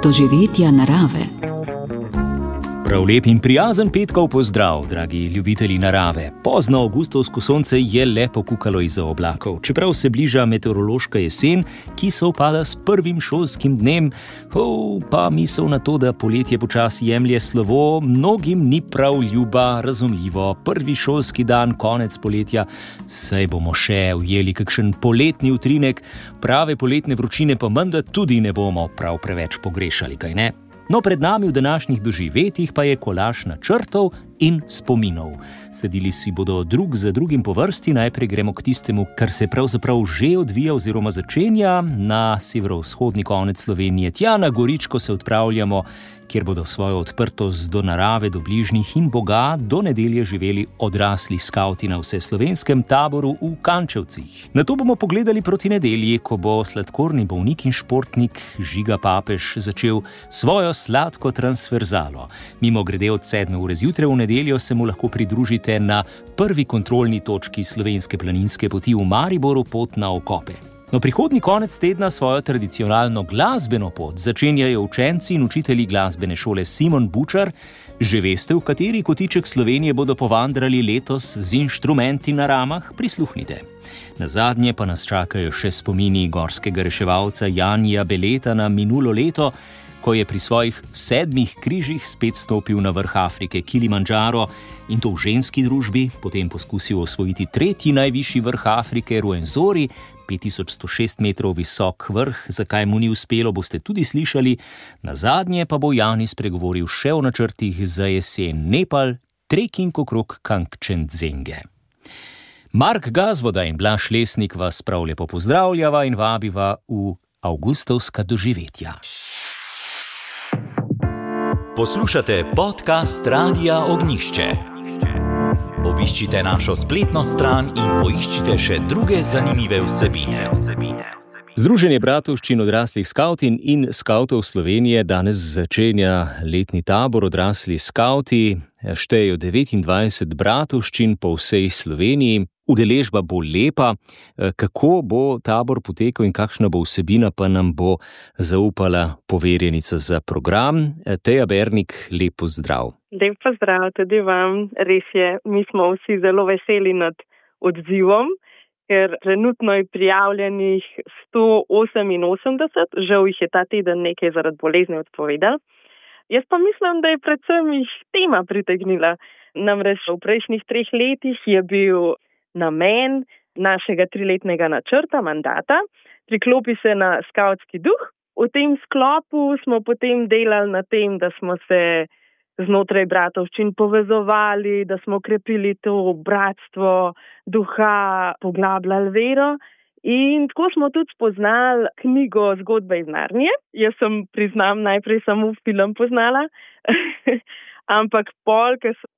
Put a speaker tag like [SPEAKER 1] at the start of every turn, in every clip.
[SPEAKER 1] doživetja narave.
[SPEAKER 2] Prav lep in prijazen petkov pozdrav, dragi ljubitelji narave. Pozno avgustovsko sonce je le pokukalo izza oblakov, čeprav se bliža meteorološka jesen, ki sovpada s prvim šolskim dnem, pa misel na to, da poletje počasi jemlje slovo, mnogim ni prav ljuba, razumljivo. Prvi šolski dan, konec poletja, saj bomo še ujeli kakšen poletni utrinek, prave poletne vročine pa menda tudi ne bomo prav preveč pogrešali, kaj ne? No, pred nami v današnjih doživetjih pa je kolaž načrtov in spominov. Sledili si bodo drug za drugim po vrsti, najprej gremo k tistemu, kar se pravzaprav že odvija oziroma začenja na severovzhodni konec Slovenije. Tja na Goričko se odpravljamo, kjer bodo svojo odprtost do narave, do bližnjih in Boga do nedelje živeli odrasli skavti na vseslovenskem taboru v Kančevcih. Nato bomo pogledali proti nedelji, ko bo sladkorni bolnik in športnik Žiga Papež začel svojo sladko transverzalo. Mimogrede od 7. ure zjutraj v nedeljo se mu lahko pridružite na prvi kontrolni točki slovenske planinske poti v Mariboru, pot na Okope. No, prihodnji konec tedna svojo tradicionalno glasbeno pot začenjajo učenci in učitelji glasbene šole Simon Bučar. Že veste, v kateri kotiček Slovenije bodo povandrali letos z inštrumenti na ramah? Prisluhnite. Nazadnje pa nas čakajo še spomini gorskega reševalca Janija Beleta na minulo leto, ko je pri svojih 7 križih spet stopil na vrh Afrike Kilimandžaro in to v ženski družbi, potem poskusil osvojiti 3. najvišji vrh Afrike Ruenzori, 5106 metrov visok vrh. Zakaj mu ni uspelo, boste tudi slišali. Nazadnje pa bo Jani spregovoril še o načrtih za jesen: Nepal, treking okrog Kangčenzenge. Mark Gazvoda in Blaž Lesnik vas prav lepo pozdravljava in vabiva v avgustovska doživetja.
[SPEAKER 3] Poslušate podcast Radia Ognjišče. Obiščite našo spletno stran in poiščite še druge zanimive vsebine.
[SPEAKER 2] Združenje bratovščin odraslih skavtin in skavtov Slovenije danes začenja letni tabor Odrasli skavti. Štejejo 29 bratovščin po vsej Sloveniji. Udeležba bo lepa. Kako bo tabor potekal in kakšna bo vsebina, pa nam bo zaupala poverjenica za program. Teja Bernik, lep pozdrav.
[SPEAKER 4] Lep pozdrav tudi vam. Res je, mi smo vsi zelo veseli nad odzivom, ker trenutno je prijavljenih 188, žal jih je ta teden nekaj zaradi bolezni odpovedal. Jaz pa mislim, da je predvsem jih tema pritegnila. Namreč v prejšnjih 3 letih je bil namen našega 3-letnega načrta, mandata, priklopi se na skavtski duh. V tem sklopu smo potem delali na tem, da smo se znotraj bratovščin povezovali, da smo krepili to bratstvo duha, poglabljali vero. In tako smo tudi spoznali knjigo Zgodbe iz Narnije. Jaz sem, priznam, najprej samo film poznala, ampak pol, ker sem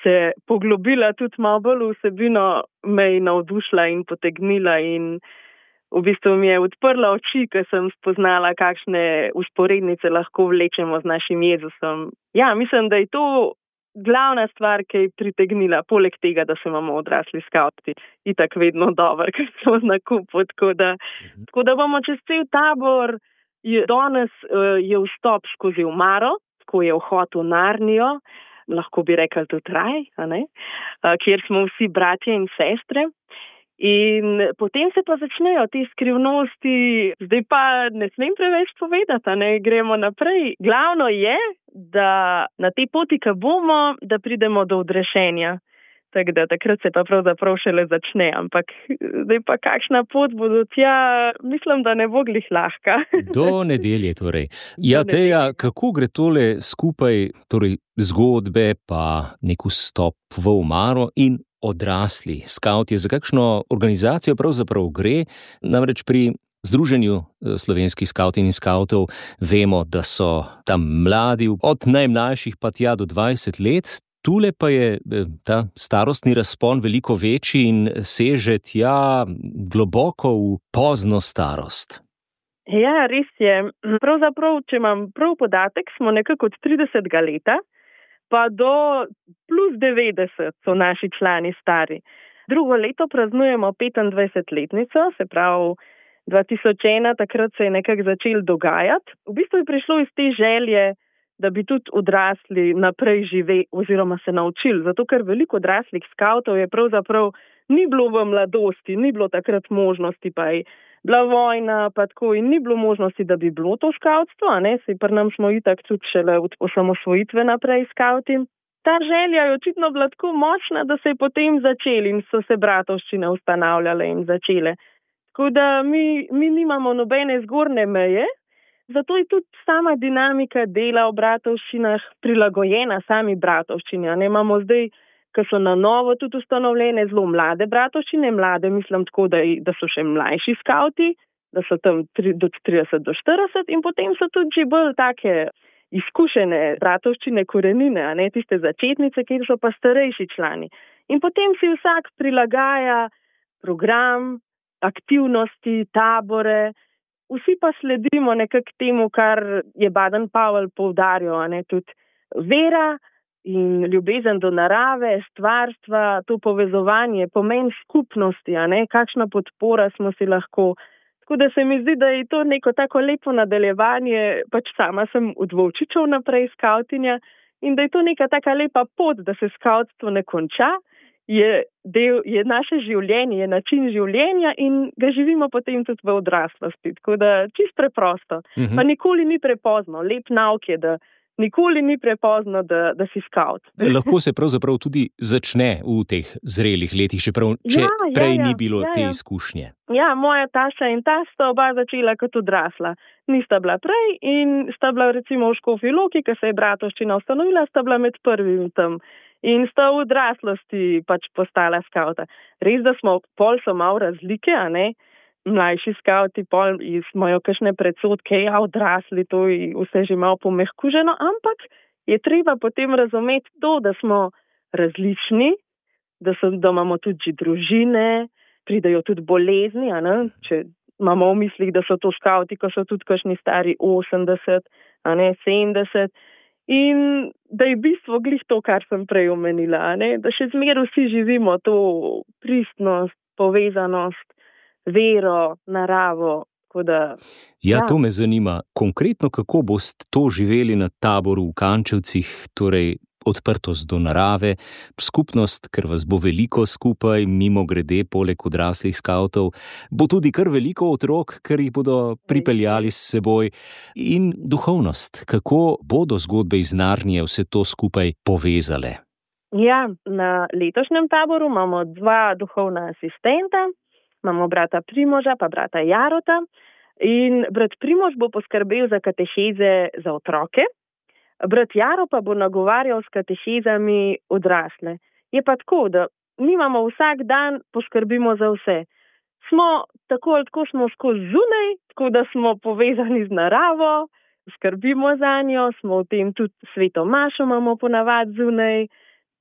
[SPEAKER 4] se poglobila tudi malo bolj v vsebino, me je navdušila in potegnila in v bistvu mi je odprla oči, ker sem spoznala, kakšne usporednice lahko vlečemo z našim Jezusom. Ja, mislim, da je to glavna stvar, ki je pritegnila, poleg tega, da se imamo odrasli skavti itak vedno dobro, ker smo na kupu. Tako da bomo čez cel tabor, danes je vstop skozi omaro, ko je vhod v Narnijo, lahko bi rekli tudi raj, kjer smo vsi bratje in sestre. In potem se pa začnejo te skrivnosti, zdaj pa ne smem preveč povedati, gremo naprej. Glavno je, da na tej poti, ki bomo, da pridemo do odrešenja. Tako da takrat se pa pravzaprav šele začne, ampak zdaj pa kakšna pot bo do tja, mislim, da ne bo glih lahka.
[SPEAKER 2] Do nedelje torej. Ja, Teja, kako gre tole skupaj, torej zgodbe pa nek vstop v omaro in odrasli skavti? Za kakšno organizacijo pravzaprav gre? Namreč pri Združenju slovenskih skavtin in skavtov vemo, da so tam mladi, od najmlajših pa tja do 20 let. Tule pa je ta starostni razpon veliko večji in seže tja globoko v pozno starost.
[SPEAKER 4] Ja, res je. Pravzaprav, če imam prav podatek, smo nekako od 30. leta pa do plus 90 so naši člani stari. Drugo leto praznujemo 25-letnico, se pravi 2001, takrat se je nekako začel dogajati. V bistvu je prišlo iz te želje, da bi tudi odrasli naprej živeli oziroma se naučili. Zato, ker veliko odraslih skavtov je pravzaprav ni bilo v mladosti, ni bilo takrat možnosti, pa je bila vojna, pa tako in ni bilo možnosti, da bi bilo to skavtstvo, Saj pri nam smo itak tudi šele od osamosvojitve naprej skavti. Ta želja je očitno bila tako močna, da se je potem začeli in so se bratovščine ustanavljale in začele. Tako da mi nimamo nobene zgornje meje, zato je tudi sama dinamika dela v bratovščinah prilagojena sami bratovščini. Imamo zdaj, ki so na novo tudi ustanovljene, zelo mlade bratovščine, mlade mislim tako, da so še mlajši skavti, da so tam do 30 do 40 in potem so tudi že bolj take izkušene bratovščine korenine, tiste začetnice, kjer so pa starejši člani. In potem si vsak prilagaja program, aktivnosti, tabore, vsi pa sledimo nekako temu, kar je Baden-Powell poudarjal, tudi vera in ljubezen do narave, stvarstva, to povezovanje, pomen skupnosti, kakšna podpora smo si lahko. Tako da se mi zdi, da je to neko tako lepo nadaljevanje, pač sama sem od Volčičev naprej skavtinja in da je to neka taka lepa pot, da se skavtstvo ne konča, je naše življenje, je način življenja in ga živimo potem tudi v odraslosti. Tako da čisto preprosto. Pa nikoli ni prepozno. Lep nauk je, da nikoli ni prepozno, da si skavt.
[SPEAKER 2] Lahko se pravzaprav tudi začne v teh zrelih letih, čeprav prej ni bilo te izkušnje.
[SPEAKER 4] Ja, moja taša in ta sta oba začela kot odrasla. Nista bila prej in sta bila recimo v Škofji Loki, ko se je bratovščina ustanovila, sta bila med prvimi tam. In sta v odraslosti pač postala skavta. Res, da pol so malo razlike, Mlajši skavti pol imajo kakšne predsodke, odrasli, to je vse že malo pomehkuženo, ampak je treba potem razumeti to, da smo različni, da imamo tudi že družine, pridejo tudi bolezni, Če imamo v mislih, da so to skavti, ko so tudi kakšni stari 80, 70. In da je bistvo glih to, kar sem prej omenila, da še zmeraj vsi živimo to pristnost, povezanost, vero, naravo.
[SPEAKER 2] To me zanima. Konkretno, kako boste to živeli na taboru v Kančevcih, torej odprtost do narave, skupnost, ker vas bo veliko skupaj, mimo grede, poleg odraslih skavtov, bo tudi kar veliko otrok, ker jih bodo pripeljali s seboj, in duhovnost, kako bodo zgodbe iz Narnije vse to skupaj povezale.
[SPEAKER 4] Ja, na letošnjem taboru imamo 2 duhovna asistenta, imamo brata Primoža pa brata Jarota in brat Primož bo poskrbel za kateheze za otroke, brat Jaro pa bo nagovarjal s katehezami odrasle. Je pa tako, da nimamo vsak dan, poskrbimo za vse. Smo tako ali tako smo skozi zunaj, tako da smo povezani z naravo, skrbimo za njo, smo v tem tudi sveto mašo imamo ponavadi zunaj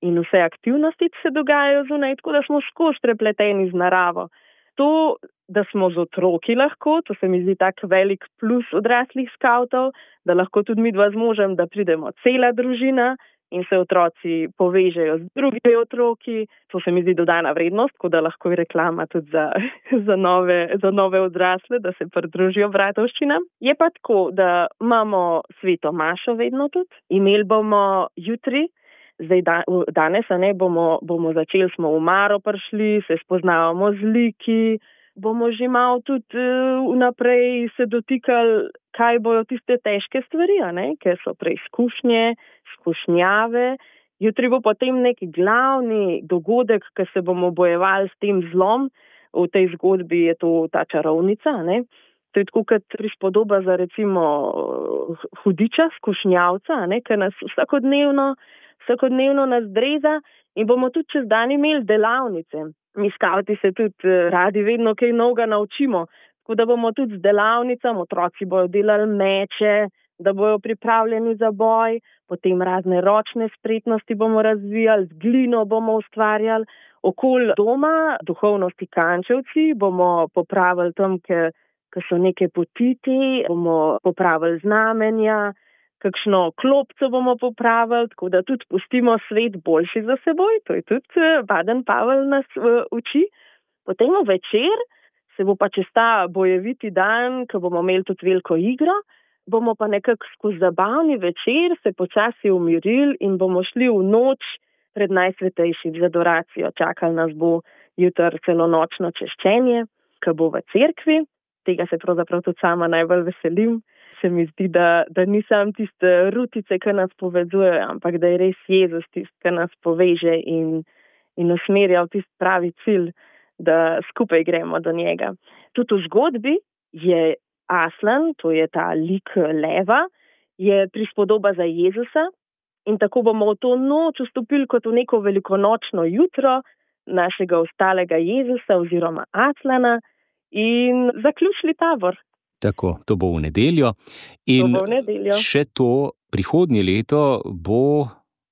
[SPEAKER 4] in vse aktivnosti se dogajajo zunaj, tako da smo skozi prepleteni z naravo. To, da smo z otroki lahko, to se mi zdi tak velik plus odraslih skavtov, da lahko tudi mi 2 z možem, da pridemo cela družina in se otroci povežejo z drugimi otroki. To se mi zdi dodana vrednost, tako da lahko je reklama tudi za nove odrasle, da se pridružijo bratovščinam. Je pa tako, da imamo sveto mašo vedno tudi. Imeli bomo jutri, zdaj danes, bomo začeli, smo v Maro prišli, se spoznavamo z liki, bomo že malo tudi vnaprej se dotikali, kaj bojo tiste težke stvari, ker so preizkušnje, skušnjave. Jutri bo potem neki glavni dogodek, ker se bomo bojevali s tem zlom. V tej zgodbi je to ta čarovnica, To je tako kot prispodoba za recimo hudiča, skušnjavca, ker nas vsakodnevno nas dreza in bomo tudi čez dan imeli delavnice. Mi skavti se tudi radi vedno kaj novega naučimo, tako da bomo tudi z delavnicami, otroci bojo delali meče, da bojo pripravljeni za boj, potem razne ročne spretnosti bomo razvijali, z glino bomo ustvarjali. Okoli doma, duhovnosti Kančevci, bomo popravili tam, ker so neke potiti, bomo popravili znamenja, kakšno klopco bomo popravili, tako da tudi pustimo svet boljši za seboj, to je tudi Baden-Powell nas uči. Potem večer se bo pa čez ta bojeviti dan, ko bomo imeli tudi veliko igro, bomo pa nekako skozi zabavni večer se počasi umirili in bomo šli v noč pred najsvetejšim z adoracijo. Čakal nas bo jutri celo nočno češčenje, ki bo v cerkvi. Tega se pravzaprav tudi sama najbolj veselim. Se mi zdi, da ni sam tiste rutice, ki nas povezujejo, ampak da je res Jezus tist, ki nas poveže in usmerja v tist pravi cilj, da skupaj gremo do njega. Tudi v zgodbi je Aslan, to je ta lik leva, je prispodoba za Jezusa in tako bomo v to noč vstopili kot v neko velikonočno jutro našega ostalega Jezusa oziroma Aslana in zaključili tabor.
[SPEAKER 2] Tako, to bo v nedeljo. In še to, prihodnje leto bo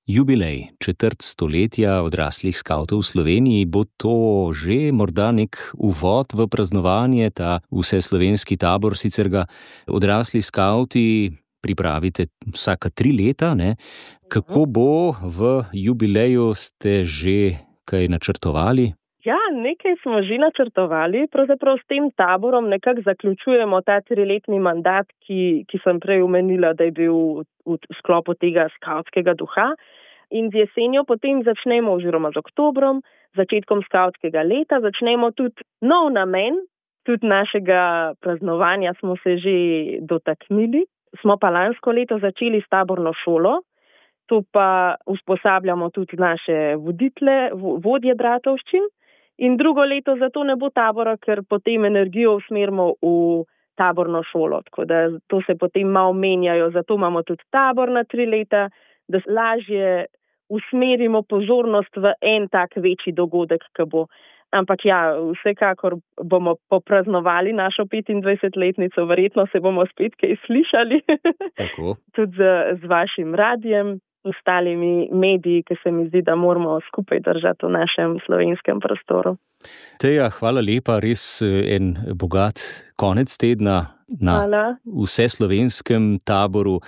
[SPEAKER 2] jubilej, 4. stoletja odraslih skavtov v Sloveniji. Bo to že morda nek uvod v praznovanje, ta vseslovenski tabor, sicer ga odrasli skavti pripravite vsaka 3 leta, ne? Kako bo v jubileju, ste že kaj načrtovali?
[SPEAKER 4] Ja, nekaj smo že načrtovali. Pravzaprav s tem taborom nekako zaključujemo ta 3-letni mandat, ki sem prej omenila, da je bil v sklopu tega skavtskega duha. In z jesenjo potem začnemo, oziroma z oktobrom, začetkom skavtskega leta, začnemo tudi nov namen. Tudi našega praznovanja smo se že dotaknili. Smo pa lansko leto začeli s taborno šolo. To pa usposabljamo tudi naše vodje bratovščin. In drugo leto zato ne bo tabora, ker potem energijo usmerimo v taborno šolo. Tako da to se potem malo menjajo, zato imamo tudi tabor na 3 leta, da lažje usmerimo pozornost v en tak večji dogodek, ki bo. Ampak ja, vsekakor bomo popraznovali našo 25-letnico, verjetno se bomo spet kaj slišali.
[SPEAKER 2] Tako.
[SPEAKER 4] Tudi z vašim radijem. Ostalimi mediji, ki se mi zdi, da moramo skupaj držati v našem slovenskem prostoru.
[SPEAKER 2] Teja, hvala lepa, res en bogat konec tedna na vseslovenskem taboru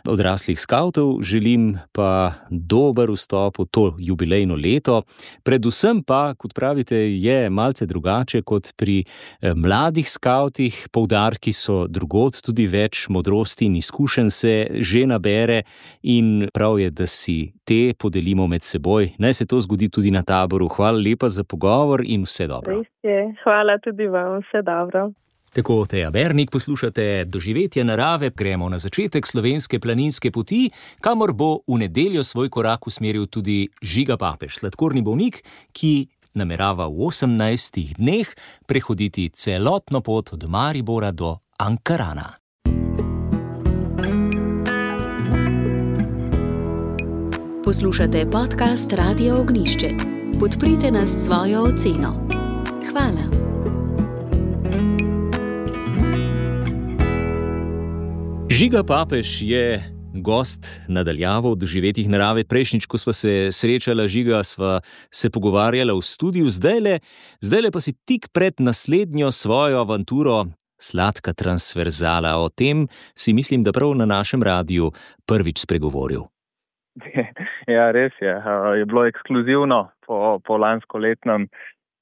[SPEAKER 2] odraslih skavtov. Želim pa dober vstop v to jubilejno leto. Predvsem pa, kot pravite, je malce drugače kot pri mladih skavtih. Poudarki so drugod, tudi več modrosti in izkušenj se že nabere in prav je, da si te podelimo med seboj. Naj se to zgodi tudi na taboru. Hvala lepa za pogovor in vse dobro.
[SPEAKER 4] Res je. Hvala tudi vam. Vse dobro.
[SPEAKER 2] Tako, Teja Bernik, poslušate Doživetje narave. Gremo na začetek slovenske planinske poti, kamor bo v nedeljo svoj korak usmeril tudi Žiga Papež, sladkorni bolnik, ki namerava v 18 dneh prehoditi celotno pot od Maribora do Ankarana.
[SPEAKER 1] Poslušate podcast Radia Ognišče. Podprite nas s svojo oceno. Hvala.
[SPEAKER 2] Žiga Papež je gost nadaljavo Doživetjih narave. Prejšnjič, ko sva se srečala, Žiga, sva se pogovarjala v studiu, zdajle pa si tik pred naslednjo svojo avanturo Sladka transverzala. O tem si mislim, da prav na našem radiju prvič spregovoril.
[SPEAKER 5] Ja, res je. Je bilo ekskluzivno po lanskoletnem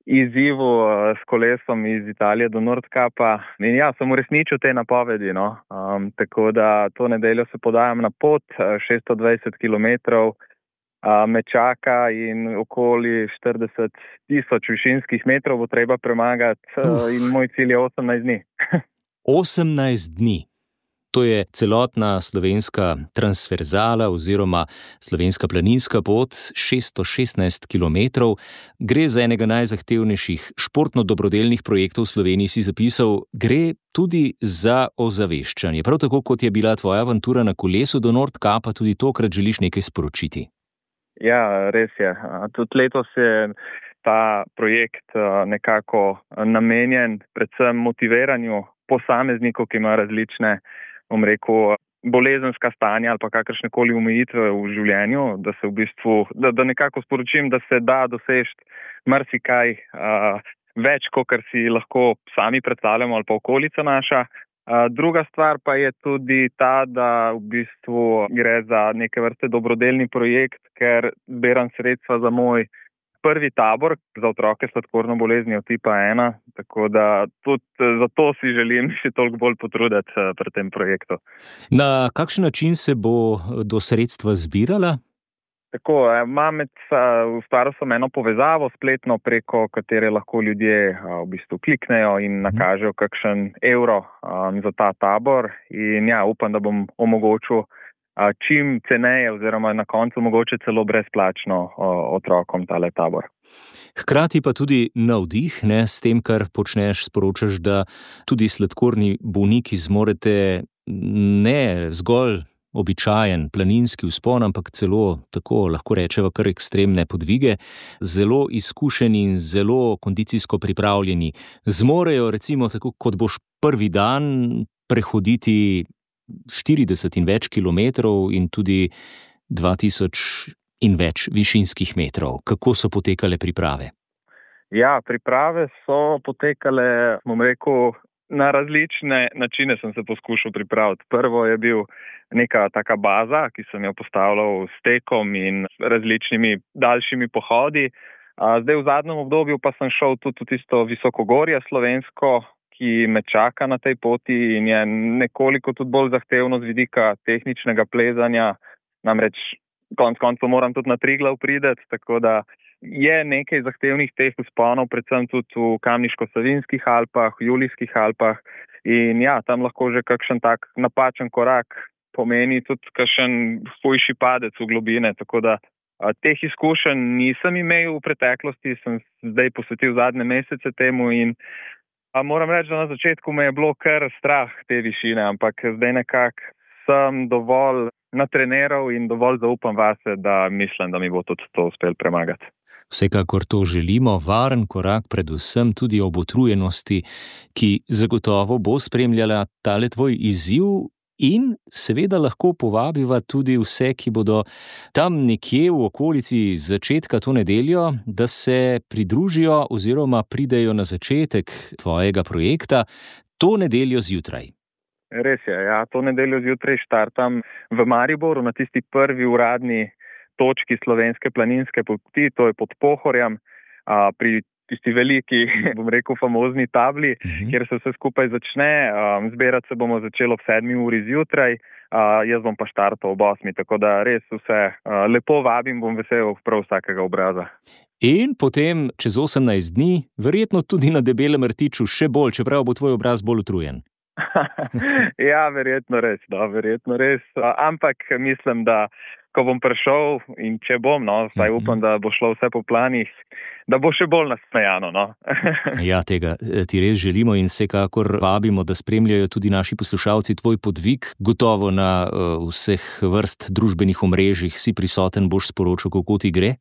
[SPEAKER 5] izzivu s kolesom iz Italije do Nordkapa. In ja, sem uresničil te napovedi. Tako da to nedeljo se podajam na pot, 620 kilometrov me čaka in okoli 40,000 višinskih metrov bo treba premagati. In moj cilj je 18 dni.
[SPEAKER 2] 18 dni. To je celotna slovenska transverzala oziroma slovenska planinska pot, 616 kilometrov. Gre za enega najzahtevnejših športno-dobrodelnih projektov v Sloveniji, si zapisal. Gre tudi za ozaveščanje. Prav tako, kot je bila tvoja avantura na kolesu do Nordkapa, tudi tokrat želiš nekaj sporočiti.
[SPEAKER 5] Ja, res je. Tudi letos je ta projekt nekako namenjen predvsem motiviranju posameznikov, ki ima različne, bolezenska stanja ali pa kakršnekoli omejitve v življenju, da se v bistvu, da nekako sporočim, da se da doseči marsikaj več, kot si lahko sami predstavljamo ali pa okolica naša. Druga stvar pa je tudi ta, da v bistvu gre za neke vrste dobrodelni projekt, ker zbiram sredstva za moj prvi tabor za otroke s sladkorno boleznijo tipa 1, tako da tudi zato si želim še toliko bolj potruditi pri tem projektu.
[SPEAKER 2] Na kakšen način se bo do sredstva zbirala?
[SPEAKER 5] Tako, ustvaril sem eno povezavo spletno, preko katere lahko ljudje v bistvu kliknejo in nakažejo kakšen evro za ta tabor. In ja, upam, da bom omogočil čim ceneje oziroma na koncu mogoče celo brezplačno otrokom tale tabor.
[SPEAKER 2] Hkrati pa tudi navdih, ne, s tem, kar počneš, sporočaš, da tudi sladkorni bolniki zmorete ne zgolj običajen planinski vzpon, ampak celo, tako lahko rečeva, kar ekstremne podvige, zelo izkušeni in zelo kondicijsko pripravljeni. Zmorejo recimo tako, kot boš prvi dan prehoditi 40 in več kilometrov in tudi 2000 in več višinskih metrov. Kako so potekale priprave?
[SPEAKER 5] Ja, priprave so potekale, bom rekel, na različne načine sem se poskušal pripraviti. Prvo je bil neka taka baza, ki sem jo postavljal s tekom in različnimi daljšimi pohodi. Zdaj v zadnjem obdobju pa sem šel tudi v tisto visokogorje slovensko, ki me čaka na tej poti in je nekoliko tudi bolj zahtevno z vidika tehničnega plezanja. Namreč konec koncev moram tudi na Triglav priti, tako da je nekaj zahtevnih teh vzponov, predvsem tudi v Kamniško-Savinjskih Alpah, v Julijskih Alpah. In ja, tam lahko že kakšen tak napačen korak pomeni tudi kakšen hujši padec v globine, tako da teh izkušenj nisem imel v preteklosti, sem zdaj posvetil zadnje mesece temu in moram reči, da na začetku me je bilo kar strah te višine, ampak zdaj nekako sem dovolj natreniral in dovolj zaupam vase, da mislim, da mi bo tudi to uspel premagati.
[SPEAKER 2] Vsekakor to želimo, varen korak predvsem tudi ob utrujenosti, ki zagotovo bo spremljala tale tvoj izziv in seveda lahko povabiva tudi vse, ki bodo tam nekje v okolici začetka to nedeljo, da se pridružijo oziroma pridejo na začetek tvojega projekta to nedeljo zjutraj.
[SPEAKER 5] Res je, ja, to nedeljo zjutraj štartam v Mariboru na tisti prvi uradni točki slovenske planinske poti, to je pod Pohorjem, pri tisti veliki, bom rekel, famozni tabli, kjer se vse skupaj začne. Zbirati se bomo začelo ob 7 uri zjutraj, jaz bom pa štartal ob 8, tako da res vse lepo vabim, bom vesel prav vsakega obraza.
[SPEAKER 2] In potem čez 18 dni, verjetno tudi na Debelem rtiču še bolj, čeprav bo tvoj obraz bolj utrujen.
[SPEAKER 5] Ja, verjetno res. Ampak mislim, da ko bom prišel in če bom, saj upam, da bo šlo vse po planih, da bo še bolj nasmejano.
[SPEAKER 2] Ja, tega ti res želimo in vsekakor vabimo, da spremljajo tudi naši poslušalci tvoj podvig. Gotovo na vseh vrst družbenih omrežjih si prisoten, boš sporočil, kako ti gre?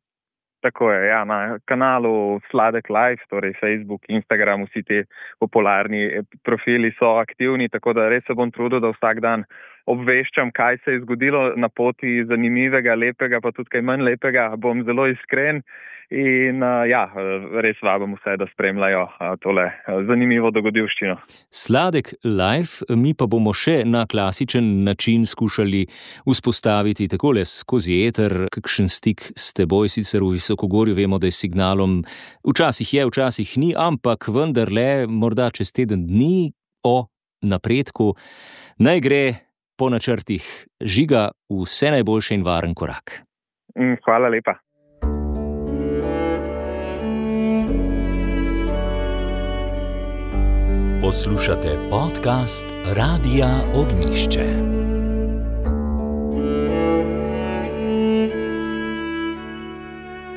[SPEAKER 5] Tako je, ja, na kanalu Sladek Live, torej Facebook, Instagram, vsi te popularni profili so aktivni, tako da res se bom trudil, da vsak dan obveščam, kaj se je zgodilo na poti, zanimivega, lepega, pa tudi kaj manj lepega. Bom zelo iskren in res vabim vse, da spremljajo tole zanimivo dogodivščino.
[SPEAKER 2] Sladek Live, mi pa bomo še na klasičen način skušali vzpostaviti takole skozi eter kakšen stik s teboj, sicer v visokogorju vemo, da je signalom včasih je, včasih ni, ampak vendarle morda čez teden dni o napredku. Naj gre po načrtih. Žiga, vse najboljše in varen korak.
[SPEAKER 5] Hvala lepa.
[SPEAKER 3] Poslušate podcast Radia Ognjišče.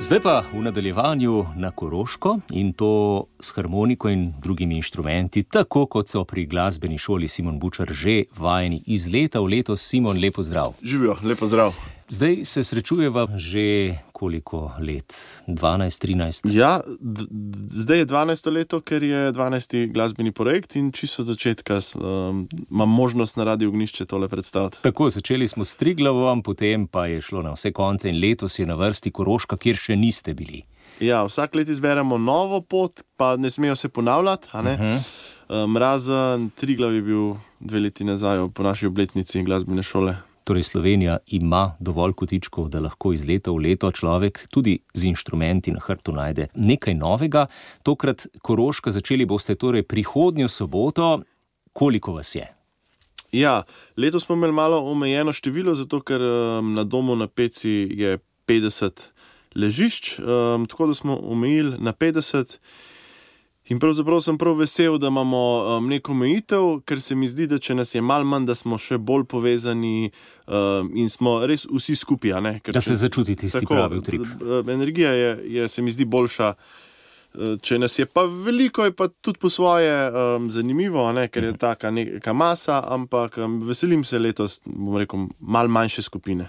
[SPEAKER 2] Zdaj pa v nadaljevanju na Koroško in to s harmoniko in drugimi inštrumenti, tako kot so pri glasbeni šoli Simon Bučar že vajeni iz leta v leto. Simon, lepo zdrav.
[SPEAKER 6] Živijo, lepo zdrav.
[SPEAKER 2] Zdaj se srečujeva že koliko let? 12, 13?
[SPEAKER 6] Ja, zdaj je 12. leto, ker je 12. glasbeni projekt in čisto od začetka imam možnost na Radiu Ognjišče tole predstaviti.
[SPEAKER 2] Tako, začeli smo s Triglavom, potem pa je šlo na vse konce in letos je na vrsti Koroška, kjer še niste bili.
[SPEAKER 6] Ja, vsak let izberemo novo pot, pa ne smejo se ponavljati, a ne? Razen Triglav je bil 2 leti nazaj po naši obletnici glasbene šole.
[SPEAKER 2] Torej Slovenija ima dovolj kotičkov, da lahko iz leta v leto človek tudi z inštrumenti na hrbtu najde nekaj novega. Tokrat Koroška, začeli boste torej prihodnjo soboto. Koliko vas je?
[SPEAKER 6] Ja, letos smo imeli malo omejeno število, zato ker na domu na Peci je 50 ležišč, tako da smo omejili na 50. In pravzaprav sem prav vesel, da imamo neko omejitev, ker se mi zdi, da če nas je malo manj, da smo še bolj povezani in smo res vsi skupaj.
[SPEAKER 2] Da se začuti tisti pravi utrip.
[SPEAKER 6] Energija je, se mi zdi, boljša. Če nas je pa veliko, je pa tudi po svoje zanimivo, ker je taka neka masa, ampak veselim se letos, bom rekel, malo manjše skupine.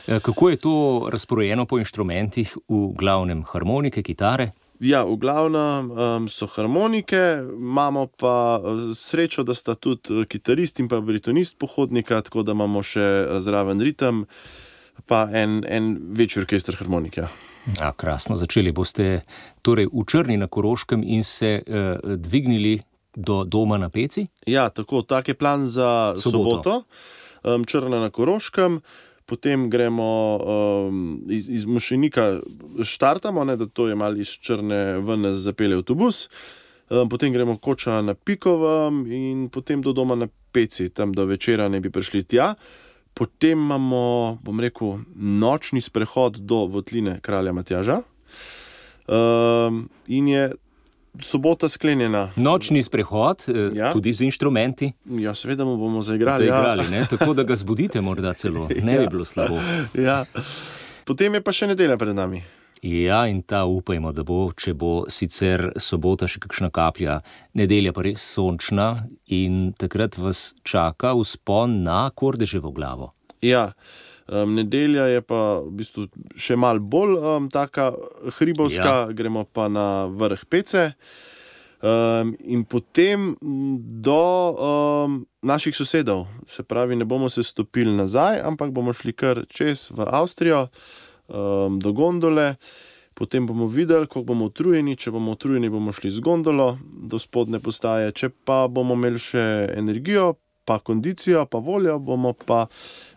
[SPEAKER 2] Kako je to razporejeno po inštrumentih, v glavnem harmonike, kitare?
[SPEAKER 6] Ja, v glavnem so harmonike, imamo pa srečo, da sta tudi kitarist in pa baritonist pohodnika, tako da imamo še zraven ritem, pa en večji orkester harmonike.
[SPEAKER 2] Krasno, začeli boste torej v Črni na Koroškem in se dvignili do doma na Peci? Ja,
[SPEAKER 6] tako, tak je plan za soboto. Črna na Koroškem, potem gremo iz Mošenika, štartamo, da to je malo iz Črne ven nas zapelje avtobus, potem gremo Koča na Pikovem in potem do doma na Peci, tam do večera ne bi prišli tja. Potem imamo, bom rekel, nočni sprehod do Votline kralja Matjaža in je sobota sklenjena.
[SPEAKER 2] Nočni sprehod, tudi z inštrumenti?
[SPEAKER 6] Ja, seveda mu bomo zaigrali.
[SPEAKER 2] Ne? Tako da ga zbudite morda celo, ne bi bilo slabo.
[SPEAKER 6] Ja. Potem je pa še nedelja pred nami.
[SPEAKER 2] Ja, in ta upajmo, da bo, če bo sicer sobota še kakšna kaplja, nedelja pa res sončna in takrat vas čaka vzpon na Kordeževo glavo.
[SPEAKER 6] Ja, nedelja je pa v bistvu še malo bolj taka hribovska, gremo pa na vrh Pece in potem do naših sosedov. Se pravi, ne bomo se stopili nazaj, ampak bomo šli kar čez v Avstrijo, do gondole, potem bomo videli, koliko bomo utrujeni. Če bomo utrujeni, bomo šli z gondolo do spodne postaje, če pa bomo imeli še energijo, pa kondicijo, pa voljo, bomo pa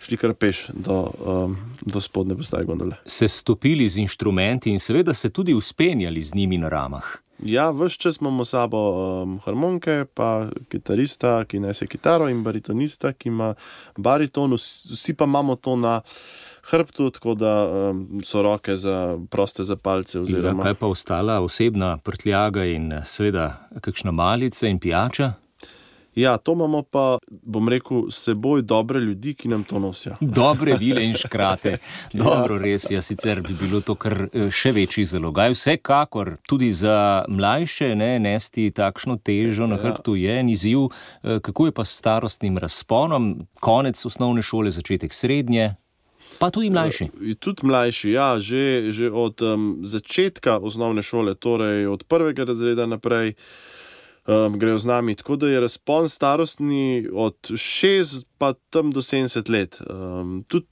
[SPEAKER 6] šli kar peš do spodne postaje gondole.
[SPEAKER 2] Se stopili z inštrumenti in seveda se tudi uspenjali z njimi na ramah.
[SPEAKER 6] Ja, ves čas imamo sabo harmonike, pa kitarista, ki nese kitaro, in baritonista, ki ima bariton, vsi pa imamo to na hrbtu, tako da so roke proste za palce. Oziroma.
[SPEAKER 2] Kaj pa ostala osebna prtljaga in seveda kakšna malica in pijača?
[SPEAKER 6] Ja, to imamo pa, bom rekel, s seboj dobre ljudi, ki nam to nosijo.
[SPEAKER 2] Dobre vile in škrate. Dobro, res je, sicer bi bilo to kar še večji zalogaj. Vsekakor tudi za mlajše nesti takšno težo na hrbtu je en izziv. Kako je pa s starostnim razponom? Konec osnovne šole, začetek srednje? Pa tudi mlajši.
[SPEAKER 6] Tudi mlajši, ja, že od začetka osnovne šole, torej od 1. razreda naprej, grejo z nami, tako da je razpon starostni od 6 pa tam do 70 let. Tudi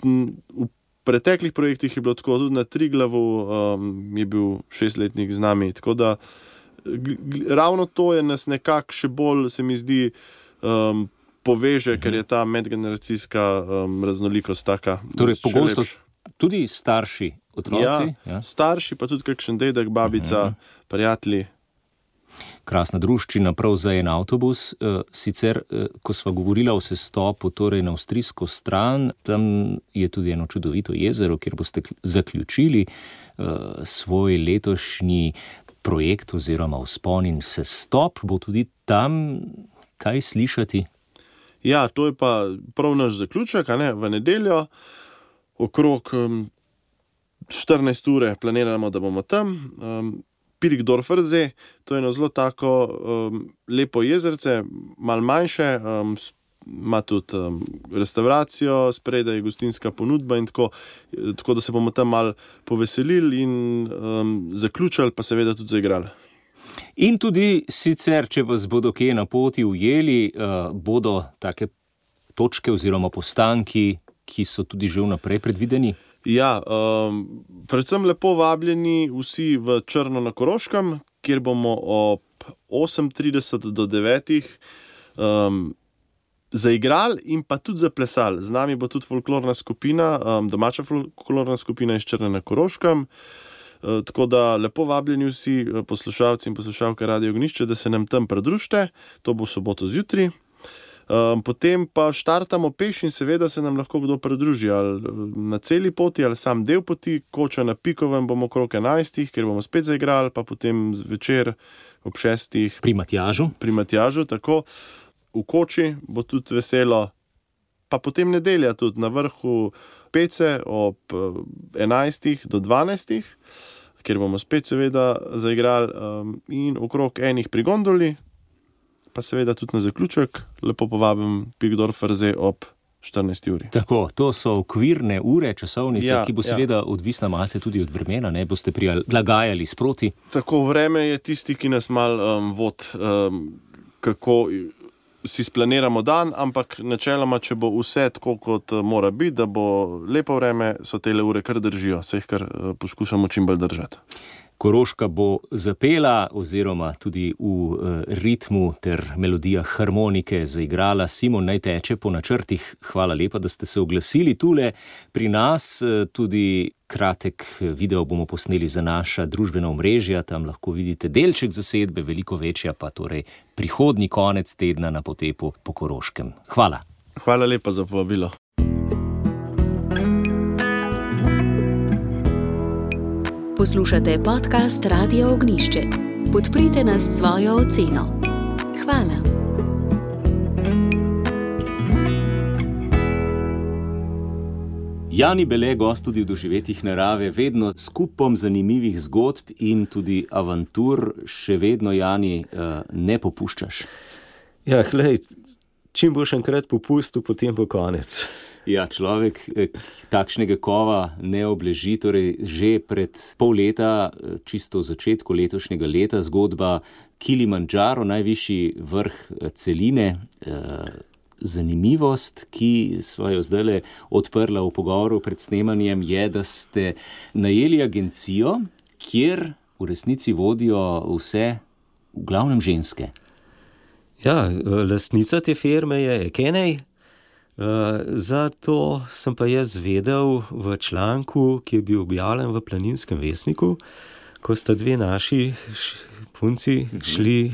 [SPEAKER 6] v preteklih projektih je bilo tako, tudi na Triglavu je bil 6-letnik z nami, tako da ravno to je nas nekako še bolj, se mi zdi, poveže, ker je ta medgeneracijska raznolikost taka.
[SPEAKER 2] Torej pogosto tudi starši otroci?
[SPEAKER 6] Ja, starši, pa tudi kakšen dedek, babica, prijatelji.
[SPEAKER 2] Krasna druščina prav za en avtobus. Sicer, ko sva govorila o sestopu, torej na avstrijsko stran, tam je tudi eno čudovito jezero, kjer boste zaključili svoj letošnji projekt oziroma vzpon in sestop. Bo tudi tam kaj slišati?
[SPEAKER 6] Ja, to je pa prav naš zaključek, v nedeljo. Okrog 14 ure planiramo, da bomo tam. Pirkdorfersee, to je eno zelo tako lepo jezerce, malo manjše, ima tudi restauracijo, spredaj je gostinska ponudba in tako da se bomo tam malo poveselili in zaključili, pa seveda tudi zaigrali.
[SPEAKER 2] In tudi sicer, če vas bodo kje na poti ujeli, bodo take točke oziroma postanki, ki so tudi že vnaprej predvideni?
[SPEAKER 6] Ja, predvsem lepo vabljeni vsi v Črno na Koroškem, kjer bomo ob 8:30 do 9 zaigrali in pa tudi zaplesali. Z nami bo tudi folklorna skupina, domača folklorna skupina iz Črne na Koroškem. Tako da lepo vabljeni vsi poslušalci in poslušalke Radio Ognjišče, da se nam tam pridružite. To bo soboto zjutraj. Potem pa štartamo peš in seveda se nam lahko kdo pridruži ali na celi poti ali sam del poti. Koča na Pikovem bomo okrog 11, kjer bomo spet zaigrali, pa potem večer ob 6. Pri Matjažu, tako. V Koči bo tudi veselo, pa potem nedelja tudi na vrhu Pece ob 11 do 12, kjer bomo spet seveda zaigrali in okrog enih pri gondoli, pa seveda tudi na zaključek lepo povabim Pikdorfer zdaj ob 14 uri.
[SPEAKER 2] Tako, to so okvirne ure, časovnice, ki bo seveda odvisna malce tudi od vremena, ne boste prilagajali sproti.
[SPEAKER 6] Tako, vreme je tisti, ki nas malo vod, kako si splaniramo dan, ampak načeloma, če bo vse tako, kot mora biti, da bo lepo vreme, so tele ure kar držijo, se jih kar poskušamo čim bolj držati.
[SPEAKER 2] Koroška bo zapela oziroma tudi v ritmu ter melodijah harmonike zaigrala. Simon naj teče po načrtih. Hvala lepa, da ste se oglasili tule pri nas. Tudi kratek video bomo posneli za naša družbena omrežja. Tam lahko vidite delček zasedbe, veliko večja pa torej prihodnji konec tedna na potepu po Koroškem. Hvala.
[SPEAKER 6] Hvala lepa za povabilo.
[SPEAKER 1] Poslušate podcast Radio Ognjišče. Podprite nas s svojo oceno. Hvala.
[SPEAKER 2] Jani Bele, gost tudi v Doživetjih narave, vedno s kupom zanimivih zgodb in tudi avantur. Še vedno, Jani, ne popuščaš.
[SPEAKER 7] Ja, glej, čim boš enkrat popustil, potem bo konec.
[SPEAKER 2] Ja, človek takšnega kova ne obleži, torej že pred pol leta, čisto v začetku letošnjega leta, zgodba Kilimandžaro, najvišji vrh celine. Zanimivost, ki sva jo zdajle odprla v pogovoru pred snemanjem, je, da ste najeli agencijo, kjer v resnici vodijo vse, v glavnem ženske.
[SPEAKER 7] Ja, lastnica te firme je Kenej. Zato sem pa jaz vedel v članku, ki je bil objavljen v Planinskem vestniku, ko sta dve naši punci šli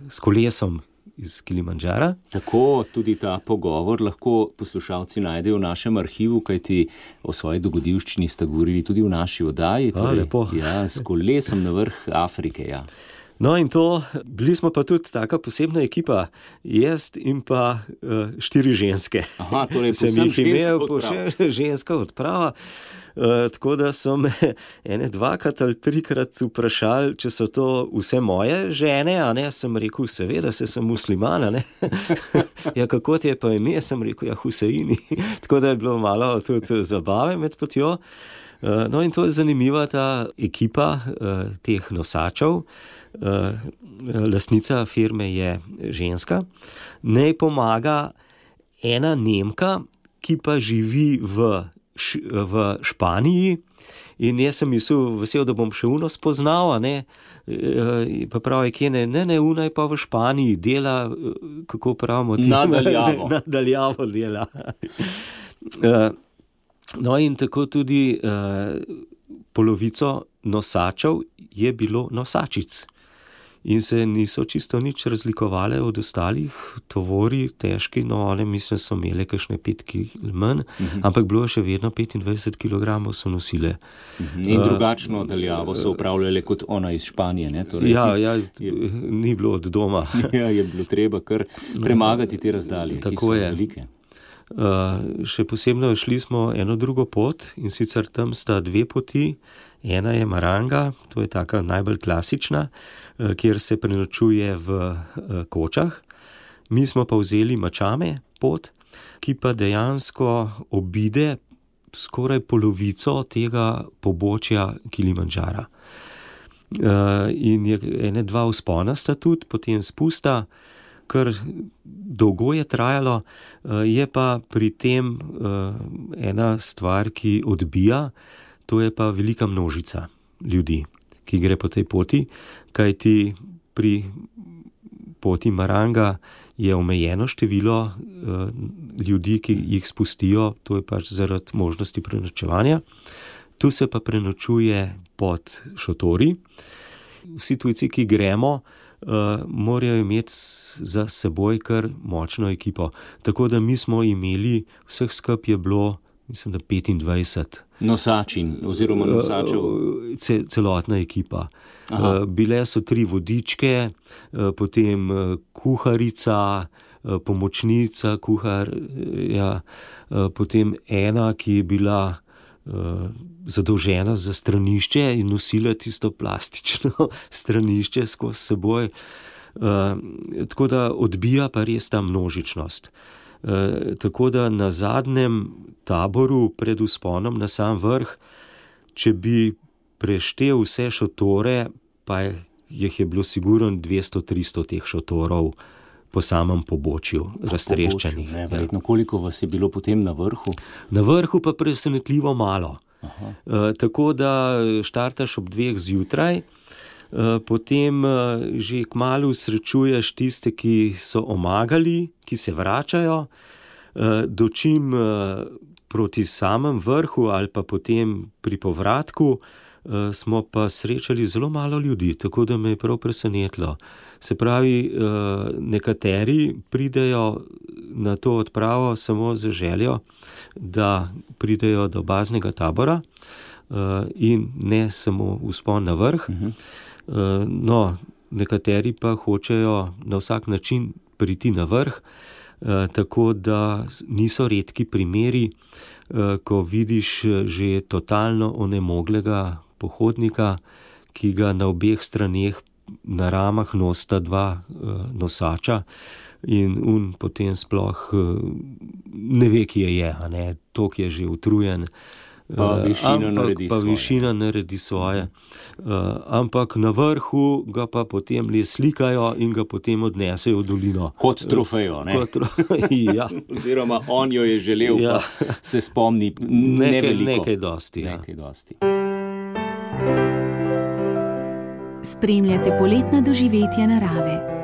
[SPEAKER 7] s kolesom iz Kilimandžara.
[SPEAKER 2] Tako tudi ta pogovor lahko poslušalci najdejo v našem arhivu, kajti o svoji dogodivščini sta govorili tudi v naši oddaji.
[SPEAKER 7] Lepo.
[SPEAKER 2] Ja, s kolesom na vrh Afrike, ja.
[SPEAKER 7] No in to, bili smo pa tudi taka posebna ekipa, jaz in pa 4 ženske.
[SPEAKER 2] Aha, torej
[SPEAKER 7] sem jih imel ženska odprava, tako da so me ene 2krat ali 3krat vprašali, če so to vse moje žene, a ne, sem rekel, seveda, sem musliman, a ne. Ja, kako ti je pa ime, sem rekel, ja, Huseini. Tako da je bilo malo tudi zabave med potjo. No in to je zanimiva ta ekipa teh nosačev. Lastnica firme je ženska. Nej pomaga ena Nemka, ki pa živi v Španiji. In jaz sem mislil, vesel, da bom še uno spoznal, a ne. Pa pravi, ne, una je pa v Španiji, dela, kako pravimo, nadaljavo dela. No in tako tudi polovico nosačev je bilo nosačic. In se niso čisto nič razlikovale od ostalih tovori, težki, no one mislim so imele kakšne 5 kg manj, ampak bilo še vedno 25 kg so nosile.
[SPEAKER 2] In drugačno daljavo so upravljale kot ona iz Španije, ne? Torej,
[SPEAKER 7] ni bilo od doma.
[SPEAKER 2] Ja, je bilo treba kar premagati te razdalje, ki so velike.
[SPEAKER 7] Še posebno šli smo eno drugo pot in sicer tam sta 2 poti. Ena je Maranga, to je taka najbolj klasična, kjer se prenočuje v kočah. Mi smo pa vzeli Mačame pot, ki pa dejansko obide skoraj polovico tega pobočja Kilimandžara. In je ene 2 vzpona sta tudi, potem spusta, kar dolgo je trajalo, je pa pri tem ena stvar, ki odbija, to je pa velika množica ljudi, ki gre po tej poti, kajti pri poti Maranga je omejeno število ljudi, ki jih spustijo, to je pač zaradi možnosti prenočevanja. Tu se pa prenočuje pod šotori. Vsi tujci, ki gremo, morajo imeti za seboj kar močno ekipo. Tako da mi smo imeli, vseh skupaj je bilo, mislim, da 25.
[SPEAKER 2] Nosačin oziroma nosačev?
[SPEAKER 7] Celotna ekipa. Bile so 3 vodičke, potem kuharica, pomočnica kuharja, potem ena, ki je bila zadolžena za stranišče in nosila tisto plastično stranišče skozi seboj. Tako da odbija pa res ta množičnost. Tako da na zadnjem taboru pred vzponom na sam vrh, če bi preštel vse šotore, pa jih je bilo sigurno 200-300 teh šotorov po samem pobočju raztreščenih.
[SPEAKER 2] Verjetno, koliko vas je bilo potem na vrhu?
[SPEAKER 7] Na vrhu pa presenetljivo malo. Tako da štartaš ob 2 zjutraj, potem že kmalu srečuješ tiste, ki so omagali, ki se vračajo, dočim proti samem vrhu ali pa potem pri povratku smo pa srečali zelo malo ljudi, tako da me je prav presenetilo. Se pravi, nekateri pridejo na to odpravo samo z željo, da pridejo do baznega tabora in ne samo vzpon na vrh. No, nekateri pa hočejo na vsak način priti na vrh, tako da niso redki primeri, ko vidiš že totalno onemoglega pohodnika, ki ga na obeh straneh na ramah nosita 2 nosača in potem sploh ne ve, kje je, tok je že utrujen.
[SPEAKER 2] Pa višina
[SPEAKER 7] naredi svoje. Ampak na vrhu ga pa potem le slikajo in ga potem odnesejo v dolino.
[SPEAKER 2] Kot trofejo, ne?
[SPEAKER 7] Ja.
[SPEAKER 2] Oziroma on jo je želel, pa se spomni neveliko.
[SPEAKER 7] Nekaj dosti.
[SPEAKER 1] Spremljate poletna doživetja narave.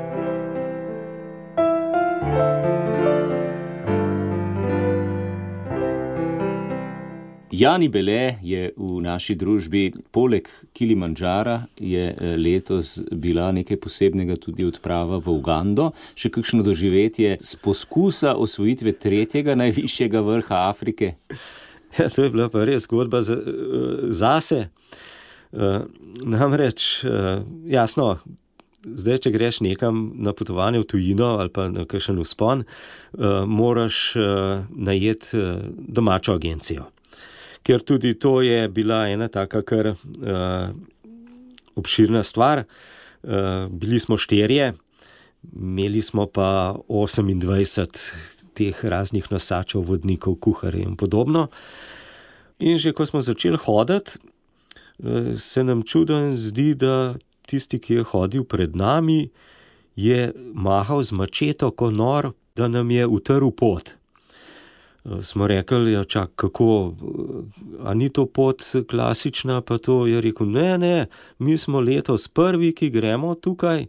[SPEAKER 2] Jani Bele je v naši družbi, poleg Kilimandžara je letos bila nekaj posebnega tudi odprava v Ugando, še kakšno doživetje z poskusa osvojitve 3. najvišjega vrha Afrike.
[SPEAKER 7] Ja, to je bila pa res zgodba zase. Namreč, jasno, zdaj, če greš nekam na potovanje v tujino ali pa na kakšen vzpon, moraš najeti domačo agencijo. Ker tudi to je bila ena taka kar obširna stvar. Bili smo 4, imeli smo pa 28 teh raznih nosačev, vodnikov, kuharjev in podobno. In že ko smo začeli hoditi, se nam čudno zdi, da tisti, ki je hodil pred nami, je mahal z mačeto ko nor, da nam je utrl pot. Smo rekli, ja, čak, kako, a ni to pot klasična, pa to je rekel, ne, mi smo letos prvi, ki gremo tukaj.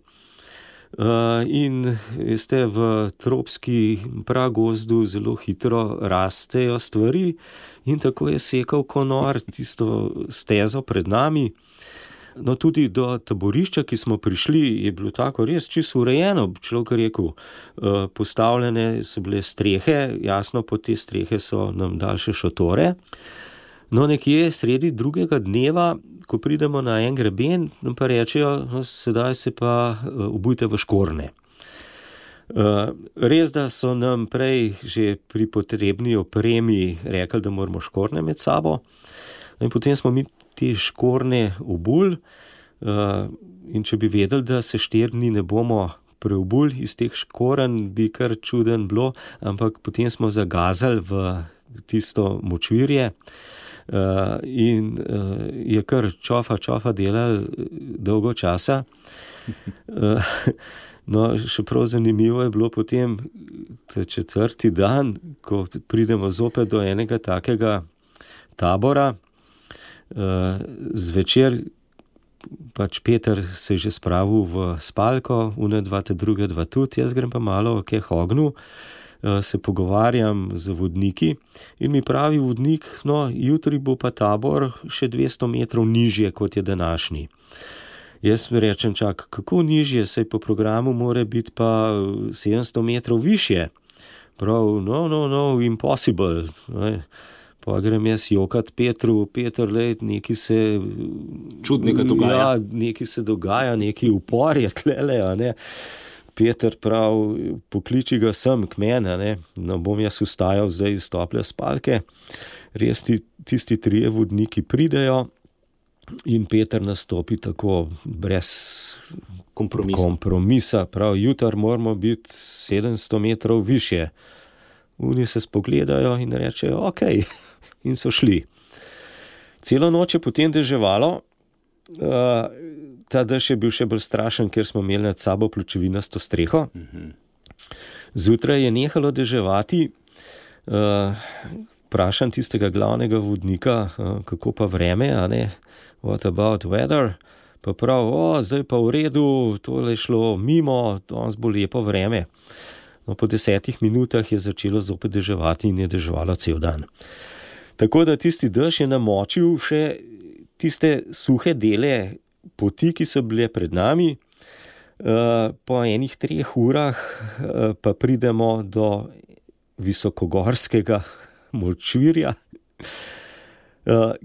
[SPEAKER 7] In veste, v tropski pragozdu zelo hitro rastejo stvari in tako je sekal konor tisto stezo pred nami. No, tudi do taborišča, ki smo prišli, je bilo tako res čisto urejeno, človek rekel, postavljene so bile strehe, jasno, po te strehe so nam dali še šotore. No, nekje sredi drugega dneva, ko pridemo na en greben, nam pa rečejo, no, sedaj se pa obujte v škorne. Res, da so nam prej že pri potrebni opremi rekli, da moramo škorne med sabo. In potem smo mi te škorne obuli in če bi vedeli, da se 4 dni ne bomo preobuli iz teh škoren, bi kar čuden bilo, ampak potem smo zagazali v tisto močvirje in je kar čofa delal dolgo časa. No, še prav zanimivo je bilo potem 4. dan, ko pridemo zopet do enega takega tabora, zvečer pač Peter se je že spravil v spalko, une dva, te druge dva tudi, jaz grem pa malo k ognju, se pogovarjam z vodniki in mi pravi vodnik, no, jutri bo pa tabor še 200 metrov nižje, kot je današnji. Jaz mi rečem, čak, kako nižje, saj po programu mora biti pa 700 metrov više. Prav, no, impossible. Pa grem jaz jokat Petru, Peter, lej, nekaj se...
[SPEAKER 2] Čudnega dogaja.
[SPEAKER 7] Ja, nekaj se dogaja, nekaj upor je tlele, a ne. Peter prav, pokliči ga sem k mene, ne. No, bom jaz vstajal zdaj iz tople spalke. Res tisti 3 vodniki pridejo in Peter nastopi tako brez kompromisa. Prav, jutr moramo biti 700 metrov više. Oni se spogledajo in rečejo, ok, in so šli. Celo noč je potem deževalo, ta dež je bil še bolj strašen, ker smo imeli nad sabo pločevinasto streho. Zjutraj je nehalo deževati, vprašam tistega glavnega vodnika, kako pa vreme, a ne, what about weather? Pa prav, zdaj pa v redu, tole je šlo mimo, danes bo lepo vreme. No, po 10 minutah je začelo zopet deževati in je deževalo cel dan. Tako da tisti dež je namočil še tiste suhe dele poti, ki so bile pred nami. Po 3 urah pa pridemo do visokogorskega močvirja,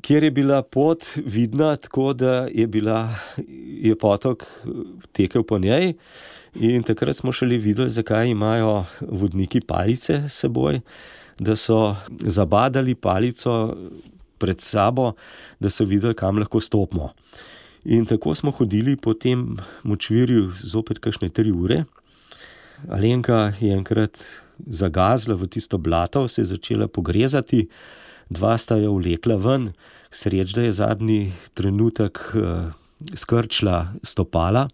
[SPEAKER 7] kjer je bila pot vidna tako, da je potok tekel po njej. In takrat smo šele videli, zakaj imajo vodniki palice s seboj, da so zabadali palico pred sabo, da so videli, kam lahko stopimo. In tako smo hodili po tem močvirju zopet kakšne 3 ure. Alenka je enkrat zagazla v tisto blato, se je začela pogrezati, 2 sta jo vlekla ven, sreč, da je zadnji trenutek skrčila stopala,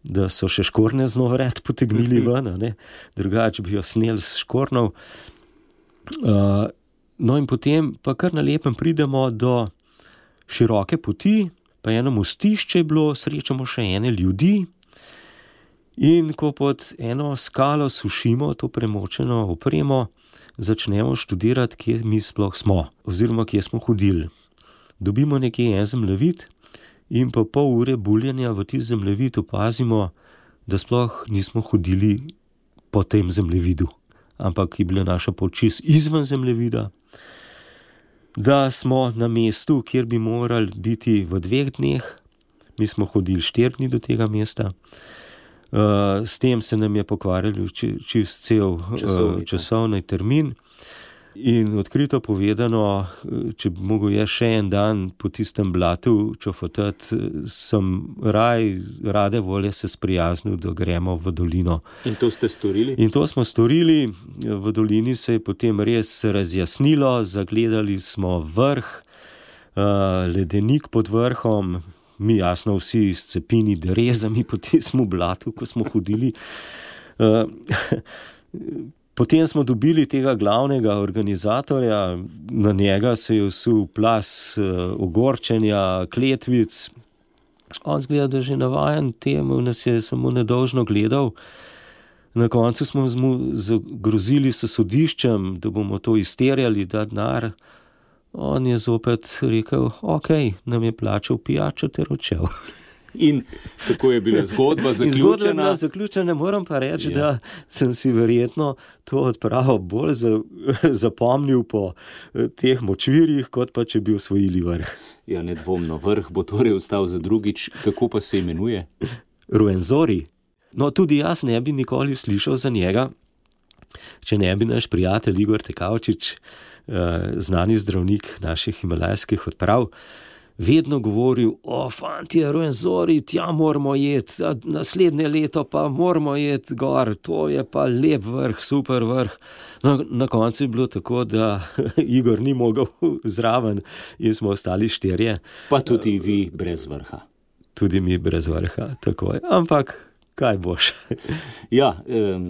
[SPEAKER 7] da so še škorne z novred potegnili ven, ne? Drugače bi jo sneli s škornov. No in potem pa kar na lepem pridemo do široke poti, pa eno mostišče je bilo, srečamo še ene ljudi in ko pod eno skalo sušimo to premočeno opremo, začnemo študirati, kje mi sploh smo, oziroma kje smo hodili. Dobimo nekje en zemljevid, in po pol ure buljenja v tisti zemljevid opazimo, da sploh nismo hodili po tem zemljevidu, ampak je bila naša pot čist izven zemljevida, da smo na mestu, kjer bi morali biti v 2 dneh, mi smo hodili 4 dni do tega mesta. S tem se nam je pokvarjal čist cel časovni termin. In odkrito povedano, če bi mogel jaz še en dan po tistem blatu čofotati, sem rade volje se sprijaznil, da gremo v dolino.
[SPEAKER 2] In to ste storili?
[SPEAKER 7] In to smo storili. V dolini se je potem res razjasnilo, zagledali smo vrh, ledenik pod vrhom, mi jasno vsi s cepini derezami po tistem blatu, ko smo hodili. Potem smo dobili tega glavnega organizatorja, na njega se je vsul plas ogorčenja, kletvic. On zgleda, da že navajen temu, nas je samo nedolžno gledal. Na koncu smo mu zagrozili s sodiščem, da bomo to izterjali, da denar. On je zopet rekel, ok, nam je plačal pijačo ter odšel.
[SPEAKER 2] In kako je bila zgodba zaključena?
[SPEAKER 7] Zgodba je bila zaključena, moram pa reči, da sem si verjetno to odpravo bolj zapomnil po teh močvirjih, kot pa če bi osvojili vrh.
[SPEAKER 2] Ja, nedvomno, vrh bo torej ostal za drugič. Kako pa se imenuje?
[SPEAKER 7] Ruwenzori. No, tudi jaz ne bi nikoli slišal za njega, če ne bi naš prijatelj Igor Tekavčič, znani zdravnik naših himalajskih odprav, vedno govoril, fantje, Ruwenzori, tja moramo jeti, naslednje leto pa moramo jeti gor, to je pa lep vrh, super vrh. No, na koncu je bilo tako, da Igor ni mogel zraven in smo ostali 4.
[SPEAKER 2] Pa tudi vi brez vrha.
[SPEAKER 7] Tudi mi brez vrha, tako je. Ampak kaj boš?
[SPEAKER 2] Ja,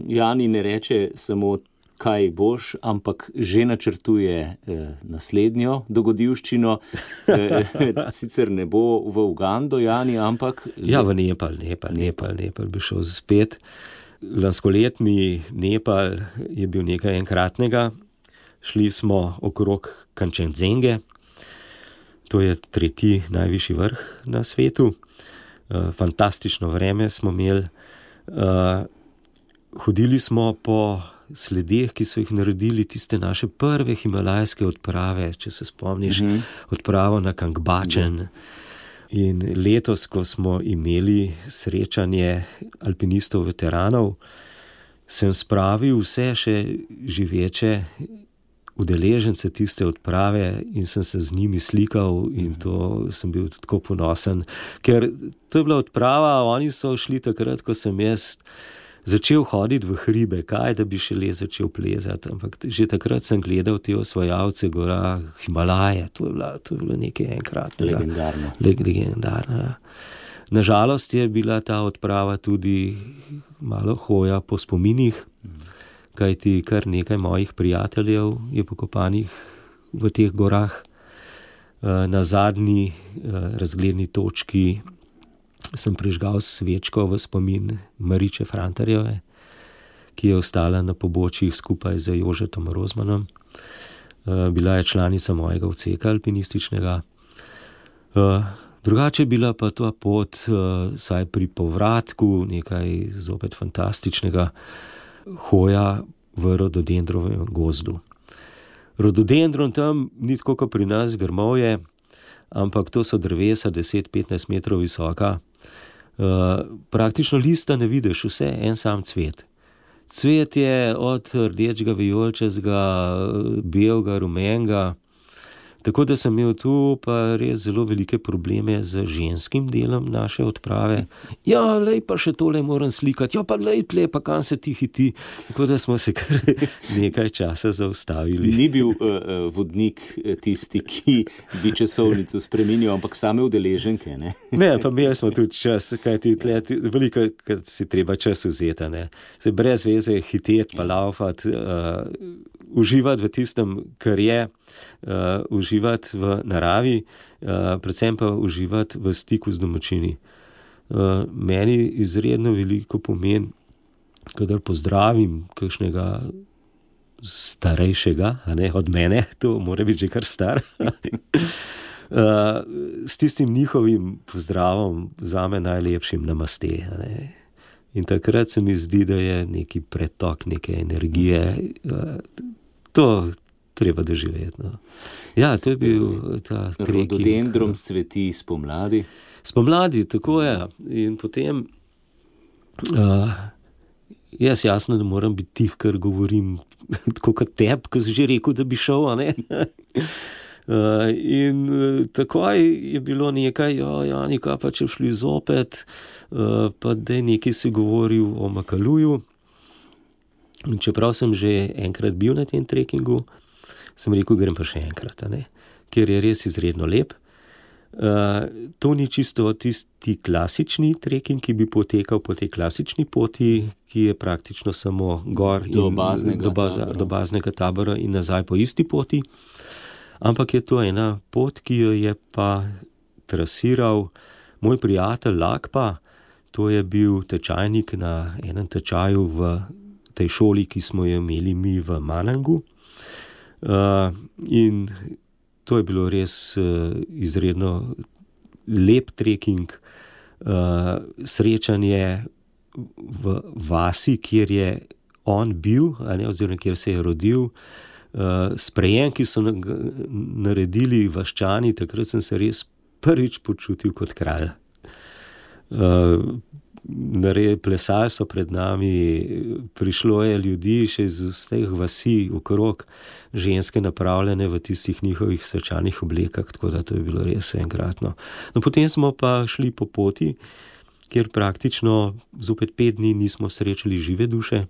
[SPEAKER 2] Jani ne reče samo kaj boš, ampak že načrtuje naslednjo dogodivščino. Sicer ne bo v Ugando, Jani, ampak...
[SPEAKER 7] Ja, v Nepal bi šel spet. Lanskoletni Nepal je bil nekaj enkratnega. Šli smo okrog Kančenzenge, to je 3. najvišji vrh na svetu. Fantastično vreme smo imeli. Hodili smo po sledeh, ki so jih naredili tiste naše prve himalajske odprave, če se spomniš, odpravo na Kangbačen. In letos, ko smo imeli srečanje alpinistov veteranov, sem spravil vse še živeče udeležence tiste odprave in sem se z njimi slikal in to sem bil tako ponosen, ker to je bila odprava, oni so šli takrat, ko sem jaz začel hoditi v hribe, kaj da bi šele začel plezati, ampak že takrat sem gledal te osvajalce gora Himalaje, to je bilo nekaj enkratnega. Legendarno. Ja. Nažalost je bila ta odprava tudi malo hoja po spominih, kajti kar nekaj mojih prijateljev je pokopanih v teh gorah. Na zadnji razgledni točki sem prižgal svečko v spomin Mariče Frantarjeve, ki je ostala na pobočjih skupaj z Jožetom Rozmanom. Bila je članica mojega odseka alpinističnega. Drugače je bila pa ta pot, saj pri povratku, nekaj zopet fantastičnega, hoja v rododendrovem gozdu. Rododendron tam ni tako kot pri nas grmovje, ampak to so drevesa 10-15 metrov visoka. Praktično lista ne vidiš, vse en sam cvet. Cvet je od rdečega, vijoličastega, belega, rumenega. Tako da sem imel tu pa res zelo velike probleme z ženskim delom naše odprave. Ja, lej, pa še tole moram slikati. Ja, pa lej, tle, pa kam se ti hiti. Tako da smo se kar nekaj časa zaustavili.
[SPEAKER 2] Ni bil vodnik tisti, ki bi časovnico spremenil, ampak same udeleženke, ne?
[SPEAKER 7] Ne, pa imeli smo tudi čas, kajti tle veliko, kar si treba čas vzeti, ne. Se brez veze hiteti pa laufati, uživati v tistem, kar je, uživati v naravi, predvsem pa uživati v stiku z domačini. Meni izredno veliko pomeni, kadar pozdravim kakšnega starejšega, a ne, od mene, to mora biti že kar star, s tistim njihovim pozdravom zame najlepšim namaste, a ne. In takrat se mi zdi, da je neki pretok neke energije, to treba doživeti. No. Ja, to je bil ta trekking.
[SPEAKER 2] Rododendron cveti spomladi.
[SPEAKER 7] Spomladi, tako je. In potem jaz jasno, da moram biti tih, kar govorim tako kot teb, ko si že rekel, da bi šel, a ne? In takoj je bilo nekaj, Jani, kaj pa če šli zopet, pa da je nekaj si govoril o Makaluju. In čeprav sem že enkrat bil na tem trekkingu, sem rekel, grem pa še enkrat, a ne? Ker je res izredno lep. To ni čisto tisti klasični trekking, ki bi potekal po tej klasični poti, ki je praktično samo gor
[SPEAKER 2] do
[SPEAKER 7] baznega tabora in nazaj po isti poti. Ampak je to ena pot, ki jo je pa trasiral moj prijatelj Lakpa. To je bil tečajnik na enem tečaju v tej šoli, ki smo jo imeli mi v Manangu. In to je bilo res izredno lep trekking, srečanje v vasi, kjer je on bil, oziroma kjer se je rodil, sprejem, ki so naredili vaščani, takrat sem se res prvič počutil kot kralj. Plesali so pred nami, prišlo je ljudi še iz vseh vasi okrog, ženske napravljene v tistih njihovih svečanih oblekah, tako da to je bilo res enkratno. No, potem smo pa šli po poti, kjer praktično zopet 5 dni nismo srečali žive duše.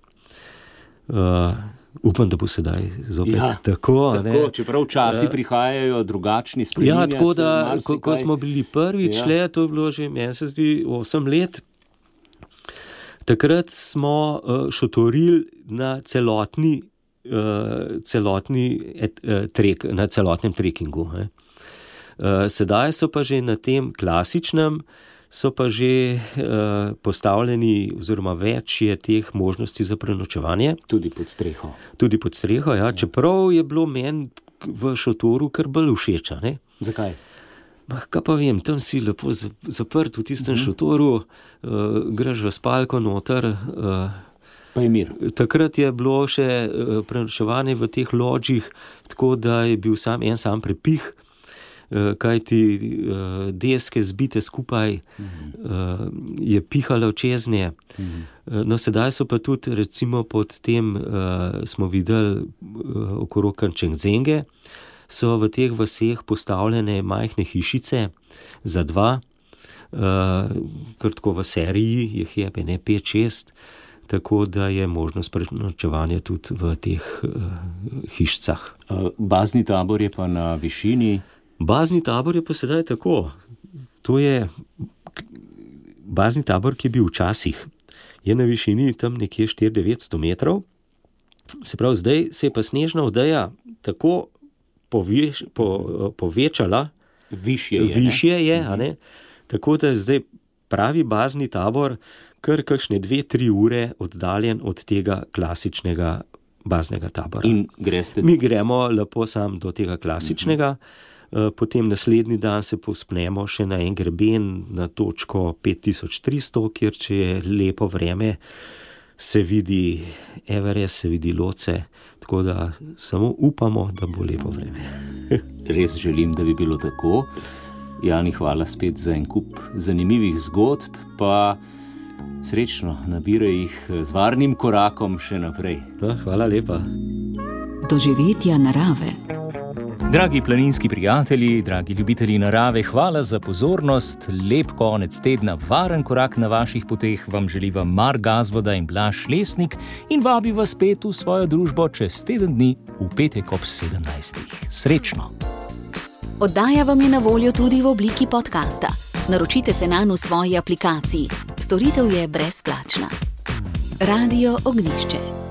[SPEAKER 7] Upam, da bo sedaj zopet tako.
[SPEAKER 2] Čeprav časi prihajajo drugačni, spreminja se. Ja,
[SPEAKER 7] tako da, ko smo bili prvič le, to je bilo že, meni se zdi, 8 let, takrat smo šotorili na celotni na celotnem trekingu. Sedaj so pa že na tem klasičnem, so pa že postavljeni, oziroma več je teh možnosti za prenočevanje.
[SPEAKER 2] Tudi pod streho.
[SPEAKER 7] Tudi pod streho, ja. Čeprav je bilo meni v šotoru kar bolj všeč.
[SPEAKER 2] Zakaj?
[SPEAKER 7] Kaj pa vem, tam si lepo zaprt v tistem šotoru, greš v spalko noter.
[SPEAKER 2] Pa je mir.
[SPEAKER 7] Takrat je bilo še prenočevanje v teh lodžih, tako da je bil sam prepih, kajti deske zbite skupaj, je pihalo čeznje. No, sedaj so pa tudi, recimo pod tem smo videli okrog Kančengzenge, so v teh vaseh postavljene majhne hišice za dva, kar tako v seriji jih je 5-6, tako da je možnost prenočevanja tudi v teh hišicah.
[SPEAKER 2] Bazni tabor je pa na višini?
[SPEAKER 7] Bazni tabor je pa sedaj tako. To je bazni tabor, ki je bil včasih. Je na višini tam nekje 400-900 metrov. Se pravi, zdaj se je pa snežna odeja tako povečala, višje je, tako da je zdaj pravi bazni tabor kar kakšne 2-3 ure oddaljen od tega klasičnega baznega tabora.
[SPEAKER 2] In greste?
[SPEAKER 7] Mi gremo lepo sam do tega klasičnega, potem naslednji dan se povzpnemo še na en greben na točko 5300, kjer če je lepo vreme, se vidi Everest, se vidi Loce, tako da samo upamo, da bo lepo vreme.
[SPEAKER 2] Res želim, da bi bilo tako. Jani, hvala spet za en kup zanimivih zgodb, pa srečno nabiraj jih z varnim korakom še naprej.
[SPEAKER 7] Hvala lepa.
[SPEAKER 1] Doživetja narave.
[SPEAKER 2] Dragi planinski prijatelji, dragi ljubitelji narave, hvala za pozornost, lep konec tedna, varen korak na vaših poteh vam želiva Mark Gazvoda in Blaž Lesnik in vabi vas spet v svojo družbo čez teden dni v petek ob 17. Srečno!
[SPEAKER 1] Oddaja vam je na voljo tudi v obliki podcasta. Naročite se nanj v svoji aplikaciji. Storitev je brezplačna. Radio Ognjišče.